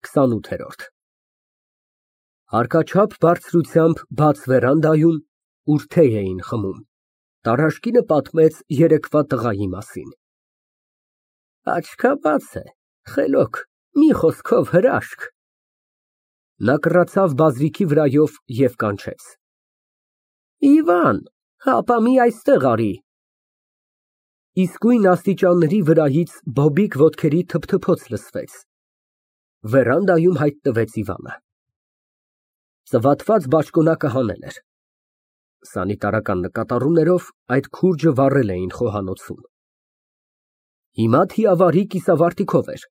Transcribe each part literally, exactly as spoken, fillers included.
քսանութ Հարկաչափ բարձրությամբ բաց վերանդայում, ուր թեյ էին խմում, Տարաշկինը պատմեց երեկվա տղայի մասին։ Աչքաբաց է, խելոք, մի խոսքով հրաշք։ Նա կռացավ բազրիքի վրայով և կանչեց. Իվան, հապա մի այստեղ արի։ Իսկույն աստիճանների վրայից բոբիկ ոտքերի թփթփոց լսվեց։ Վերանդայում հայտնվեց Իվանը։ Ծվաթված բաճկոնակը հանել էր։ Սանիտարական նկատառումներով այդ քուրջը վառել էին խոհանոցում։ Հիմա թիավարի կիսավարտիքով էր,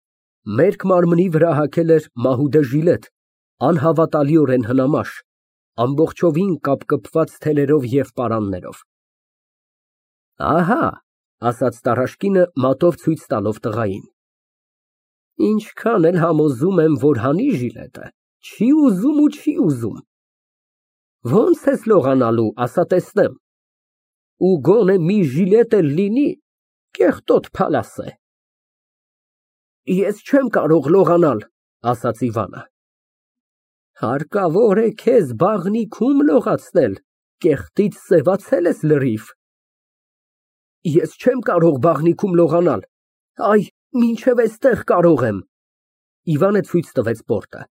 մերկ մարմնի վրա հագել էր մահուդե ժիլետ, անհավատալիորեն հնամաշ, ամբողջովին կապկպված թելերով և պարաններով։ Ահա, ասաց Տարաշկինը մատով ցույց տալով տղային, ինչքան էլ համոզում եմ, որ հանի ժիլետը, չի ուզում ու չի ուզում։ Ոնց ես լողանալու, ասա տեսնեմ, ու գոնե մի ժիլետ էլ լինի, կեղտոտ փալաս է։ Ես չեմ կարող լողանալ, ասաց Իվանը։ Հարկավոր է քեզ բաղնիքում լողացնել, կեղտից սևացել ես լրիվ։ Ես չեմ կարող բաղնիքում լողանալ, այ, մինչև էստեղ կարող եմ։ Իվանը ցույց տվեց պորտը։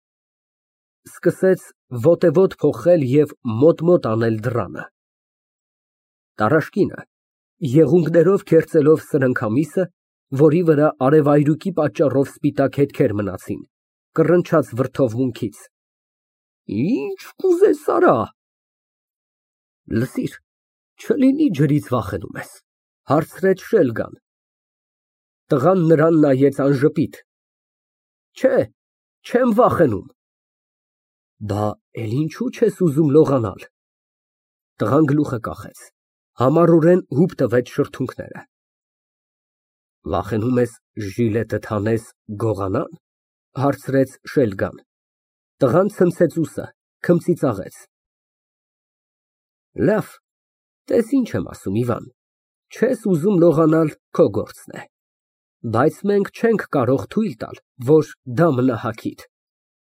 Սկսեց ոտևոտ փոխել և մոտ֊մոտ անել դռանը։ Տարաշկինը, եղունգներով քերծելով սրընքամիսը, որի վրա արևայրուկի պատճառով սպիտակ հետքեր մնացին, կռնչաց վրդովմունքից. Ինչ կուզես արա։ Լսիր, չլինի ջրից վախենում ես, հարցրեց Շելգան։ Տղան նրան նայեց անժպիտ։ Չէ, չեմ վախենում։ Բա էլ ինչու չես ուզում լողանալ։ Տղան գլուխը կախեց, համառորեն հուպ տվեց շրթունքները։ Վախենում ես ժիլետդ հանես գողանան, հարցրեց Շելգան։ Տղան ցնցեց ուսը, քմծիծաղեց։ Լավ, տես ինչ եմ ասում, Իվան, չես ուզում լողանալ, քո գործն է, բայց մենք չենք կարող թույլ տալ, որ դա մնա հագիդ։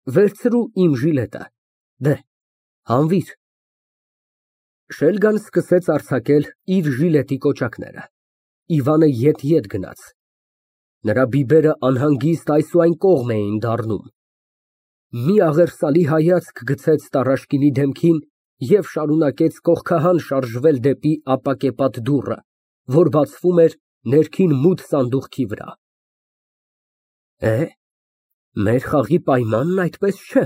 Վերցրու իմ ժիլետը, դե, հանվիր։ Շելգան սկսեց արձակել իր ժիլետի կոճակները։ Իվանը ետ֊ետ գնաց։ Նրա բիբերը անհանգիստ այս ու այն կողմ էին դառնում։ Մի աղերսալի հայացք գցեց Տարաշկինի դեմքին և շարունակեց կողքահան շարժվել դեպի ապակեպատ դուռը, որ բացվում էր ներքին մութ սանդուղքի վրա։ Է, մեր խաղի պայմանն այդպես չէ։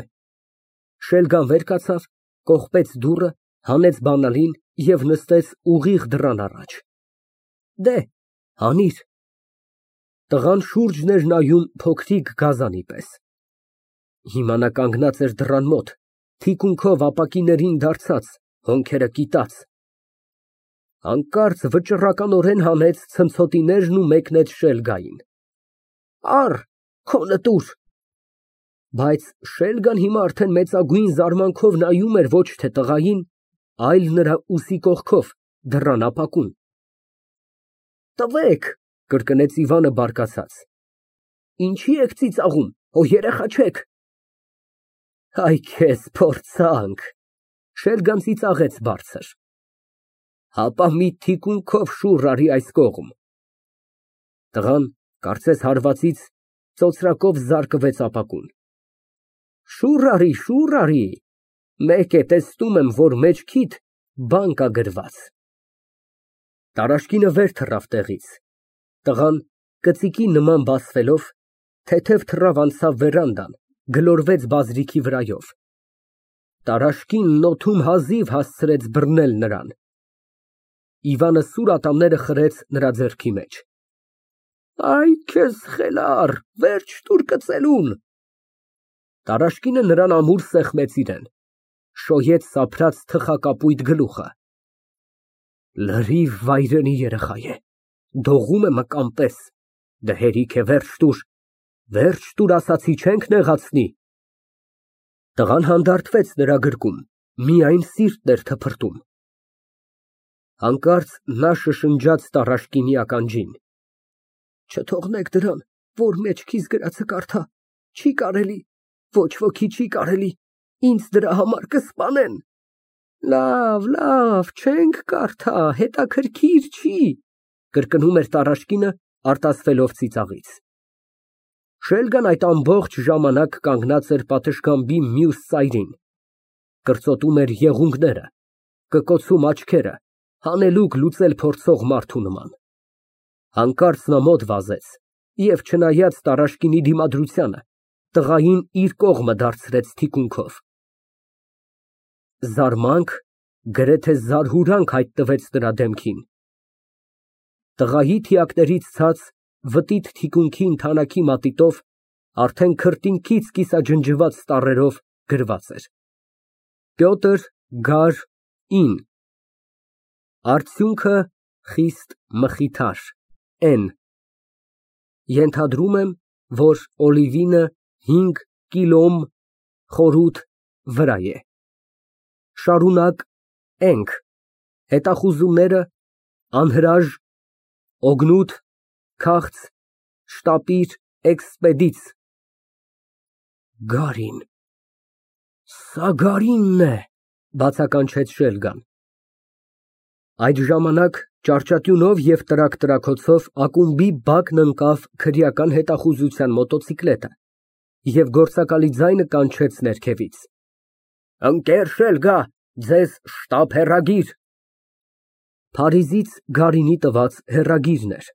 Շելգան վեր կացավ, կողպեց դուռը, հանեց բանալին և նստեց ուղիղ դռան առաջ։ Դե, հանիր։ Տղան շուրջն էր նայում փոքրիկ գազանի պես։ Հիմա նա կանգնած էր դռան մոտ, թիկունքով ապակիներին դարձած, հոնքերը կիտած։ Հանկարծ վճռականորեն հանեց ցնցոտիներն ու մեկնեց Շելգային։ Առ, քոնը տուր։ Բայց Շելգան հիմա արդեն մեծագույն զարմանքով նայում էր ոչ թե տղային, այլ նրա ուսի կողքով, դռան ապակուն։ Տվեք, կրկնեց Իվանը բարկացած։ Ինչի եք ծիծաղում, հո երեխա չեք։ Այ քեզ փորձանք, Շելգան ծիծաղեց բարձր։ Հապա մի թիկունքով շուռ արի այս կողմ։ Տղան, կարծես հարվածից, ծոծրակով զարկվեց ապակուն։ Շուռ արի, շուռ արի, մեկ է տեսնում եմ, որ մեջքիդ բան կա գրված։ Տարաշկինը վեր թռավ տեղից։ Տղան, կծիկի նման բասվելով, թեթև թռավ անցավ վերանդան, գլորվեց բազրիքի վրայով։ Տարաշկինն օդում հազիվ հասցրեց բռնել նրան։ Իվանը սուր ատամները խրեց նրա ձեռքի մեջ։ Այ քեզ խելառ, վերջ տուր կծելուն։ Տարաշկինը նրան ամուր սեղմեց իրան, շոյեց սափրած թխակապույտ գլուխը։ Լրիվ վայրենի երեխա է, դողում է մկան պես, դե հերիք է վերջ տուր, վերջ տուր ասացի, չենք նեղացնի։ Տղան հանդարտվեց նրա գրկում, միայն սիրտն էր թփրտում։ Հանկարծ նա շշնջաց Տարաշկինի ականջին. Չթողնեք դրան, որ մեջքիս գրածը կարդա, չի կարելի։ Ոչ ոքի չի կարելի, ինձ դրա համար կսպանեն։ Լավ, լավ, չենք կարդա, հետաքրքիր չի, կրկնում էր Տարաշկինը, արտասվելով ծիծաղից։ Շելգան այդ ամբողջ ժամանակ կանգնած էր պատշգամբի մյուս ծայրին, կրծոտում էր եղունգները, կկոցում աչքերը, հանելուկ լուծել փորձող մարդու նման։ Հանկարծ նա մոտ վազեց և, չնայած Տարաշկինի դիմադրությանը, տղային իր կողմը դարձրեց թիկունքով։ Զարմանք, գրեթե զարհուրանք հայտնվեց նրա դեմքին։ Տղայի թիակներից ցած վտիտ թիկունքի ընդանակի մատիտով արդեն քրտինքից կիսաջնջված տառերով գրված էր. Պյոտր Գար ինը Արդյունքը խիստ մխիթար N Ենթադրում եմ, որ օլիվինը հինգ կիլոմ խորհուրդ վրա է։ Շարունակ ենք, հետախուզումները անհրաժ, օգնութ, քաղց, շտապիր, էքսպեդից։ Գարին, սա Գարինն է, բացականչեց Շելգան։ Այդ ժամանակ ճարճատյունով և տրակ֊տրաքոցով ակումբի բակն ընկավ քրեական հետախուզության մոտոցիկլետը և գործակալի ձայնը կանչեց ներքևից. Ընկեր Շելգա, ձեզ շտապ հեռագիր։ Փարիզից Գարինի տված հեռագիրն էր։